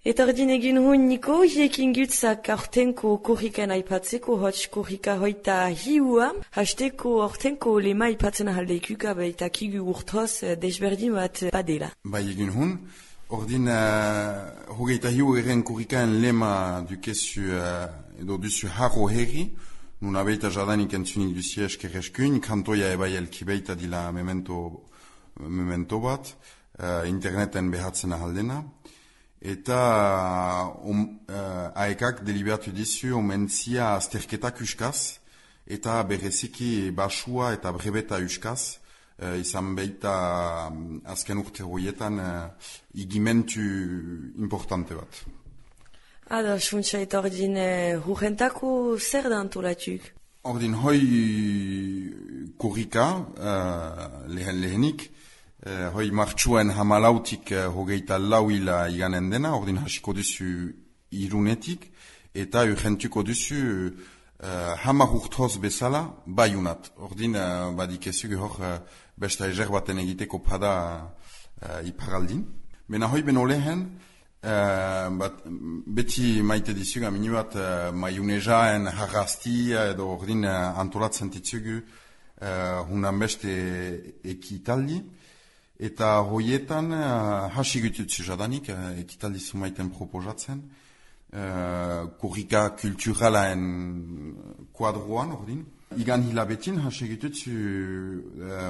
Eta ordin egin huen niko, hiekin gutzak aurtenko korrikan aipatzeko, hotz korrika hoita hiua, hasteko aurtenko lema aipatzen ahaldeikuka, eta kigu urtoz desberdin bat badela. Bai egin huen, ordin hogeita hiu eren korrikaen lema dukezu, edo duzu harro herri, nun abeita jadanik entzunik duzi eskerreskun, kantoia ebai elkibeita dila memento bat, interneten behatzen ahaldena. Eta aekak deliberatu dizu omentzia azterketak uskaz, eta bereziki basua eta brebeta uskaz, izan beita azken urte horietan igimentu importante bat. Ados, funtsa eta ordin hurrentako zer da antolatuk? Ordin hoi korrika lehenik, hoi martxuen hamalautik hogeita lauila iganen dena, ordin hasiko duzu irunetik, eta urgentuko duzu hamar urtoz bezala baiunat. Ordin badikezu hor besta ezer baten egiteko pada iparaldin. Bena hoi beno lehen, beti maite dizuga mini bat maiunejaen harrastia edo ordin antolatzen ditzugu hunan beste ekitaldi. Eta hoietan hasi gututzu jadanik, ekitaldi zumaiten proposatzen, korrika kulturalaen kuadroan, ordin. Igan hilabetin hasi gututzu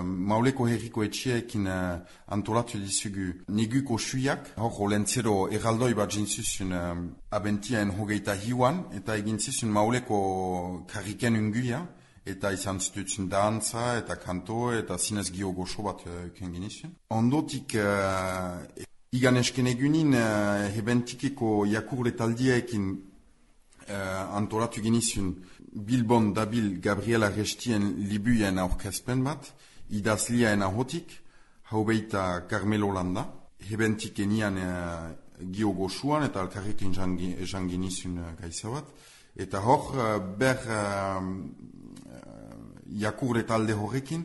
mauleko herriko etxeekin antolatu dizugu neguko suiak, hor olentzero eraldoi bat jintzuzun abentiaen hogeita hiuan, eta egin zizun mauleko karriken unguia, eta izan zitutzen dantza, eta kanto, eta zinez gio goxo bat kenginizien. Ondotik, igan esken egunin, hebentikeko jakurletaldiekin antolatu genizien Bilbon dabil Gabriela Restien libuien aurkezpen bat, idazliaen ahotik, haubeita Carmelo Landa, hebentik enian gio goxuan, eta alkarrekin esan genizien gaisa bat, eta hor, jakurre talde horrekin,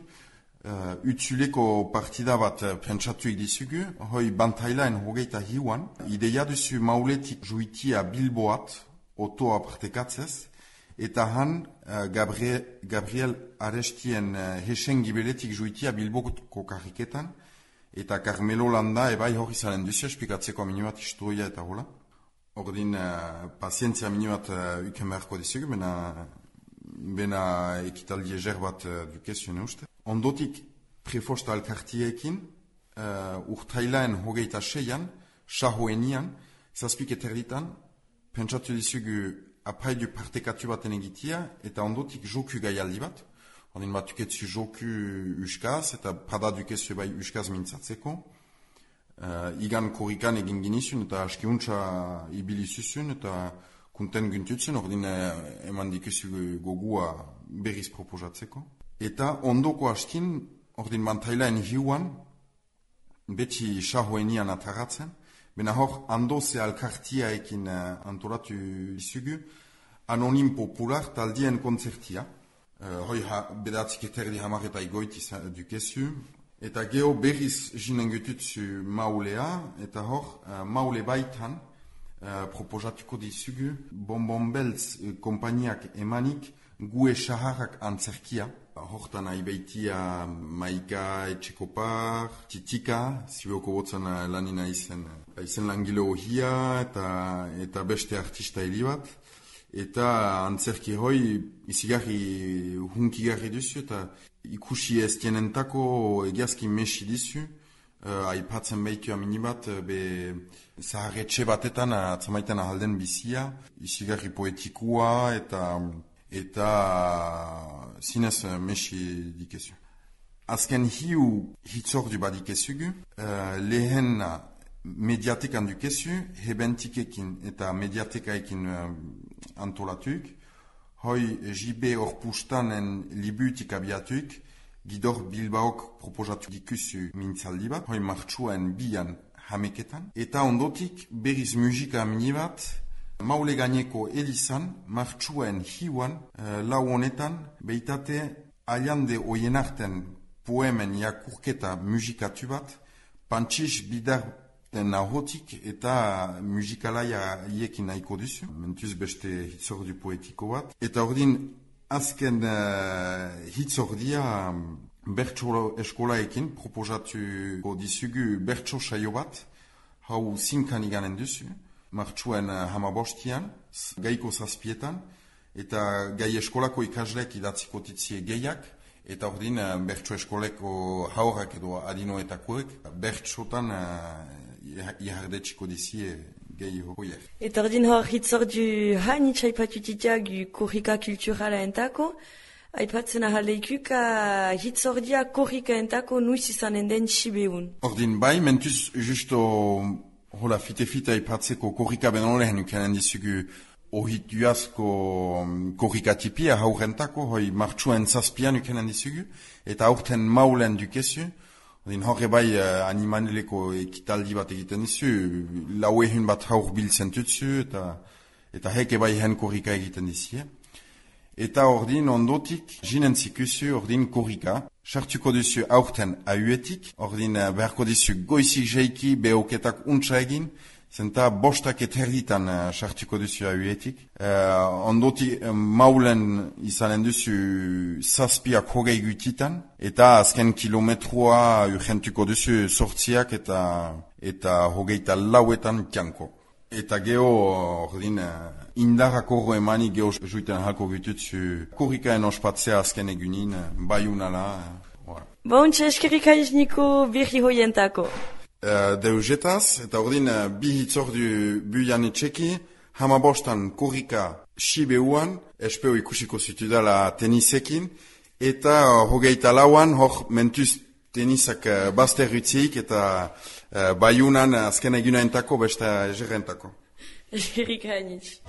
utzuleko partida bat pentsatuik dizugu, hoi bantailaen hogeita hiuan, ideia duzu mauletik juitia Bilboat, otoa partekatzez, eta han Gabriel Arestien hesen gibeletik juitia Bilboko karriketan, eta Carmelo Landa ebai hori zaren duzu, espikatzeko minibat historia eta hola. Ordin, pazientzia minibat uken beharko dizugu, bena ekitaldi ezer bat dukezioen uste. Ondotik prefosta alkartiekin, urtailaen hogeita seian, sahoenian, zazpik eterditan, pentsatu dizugu apaidu partekatu baten egitia, eta ondotik joku gaialdi bat. Ordin bat duketzu joku uskaz, eta pada dukezu bai uskaz mintzatzeko. Igan korrikan egin ginizun, eta askiuntza ibilizuzun, eta kunten guntutzen, ordin eman dikezu gogua berriz proposatzeko. Eta ondoko askin, ordin bantailaen hiuan, beti sahoenian ataratzen, bena hor andoze alkartiaekin antolatu izugu, anonim popular taldien konzertia. Hoi bedatzik eterdi hamar eta igoiti dukezu. Eta geho berriz jinen gututzu maulea, eta hor maule baitan, proposatuko dizugu, Bonbon Beltz kompaniak emanik gue saharrak antzerkia. Hortan aibeitia Maika Etxekopar, Titika, zibeoko botzen lanina izen langile ohia eta beste artista helibat. Eta antzerki hoi izigarri hunkigarri duzu eta ikusi ez tienentako egiazki mesi dizu. Aipatzen behitu aminibat, zaharretxe batetan atzamaiten ahalden bizia, izigarri poetikua eta zinez mesi dikezu. Azken hiu hitzordu badikezugu, lehen mediatekan dukezu, hebentikekin eta mediatekaekin antolatuk, hoi JB Orpustanen libutik abiatuk, Gidor Bilbaok proposatu dikuzu mintzaldi bat, hoi martxuen bian hameketan. Eta ondotik berriz musika minibat, maule gaineko elizan, martxuen hiuan, lau honetan, beitate aliande oienarten poemen jakurketa musikatu bat, Pantxix Bidar Nahotik eta musikalaia hiekin nahiko duzu, mentuz beste hitzordu poetiko bat. Eta ordin, azken hitzordia bertso eskolaekin proposatuko dizugu bertso saio bat, hau zinkan iganen duzu, martxuen hamabostian, gaiko zazpietan, eta gai eskolako ikaslek idatziko titzie gehiak, eta ordin bertso eskoleko haurrak edo adinoetakoek bertsotan ihardetxiko dizie gehi hoiek. Eta ordin hor hitzordu hain itxaipatutitia gu korrika kulturala entako, aipatzen ahaleikuka hitzordia korrika entako nuiz izanen den sibeun. Ordin bai, mentuz justo hola fite aipatzeko korrika benolehen ukanen dizugu ohituazko korrika tipia haurentako, hoi martxuen zazpian ukanen dizugu, eta aurten maulen dukezu. Ordin horre bai animaleko ekitaldi bat egiten dizu, lau ehun bat haur biltzen tutzu, eta heke bai hen korrika egiten dizie. Eta ordin ondotik, jinen zikuzu ordin korrika, sartuko duzu aurten ahuetik, ordin beharko dizu goizik jeiki behoketak untsa egin, zenta bostak eterditan sartuko duzu ahuetik. Ondotik maulen izanen duzu zazpiak hogei gutitan, eta azken kilometroa urgentuko duzu sortziak eta hogeita lauetan tianko. Eta geho, ordin, indarrako emani geho juiten halko gututzu korrikaen ospatzea azken egunin, baiunala. Bontxe eskerrik aiz niko birri hoientako. Deugetaz, eta ordin, bi hitzordu buian etxeki, hamabostan korrika sibeuan, espeo ikusiko zutudala tenisekin, eta hogeita lauan, hor mentuz tenisak bazterrutzik eta baiunan azken egunaentako beste egerentako. Eskerrik hainitz.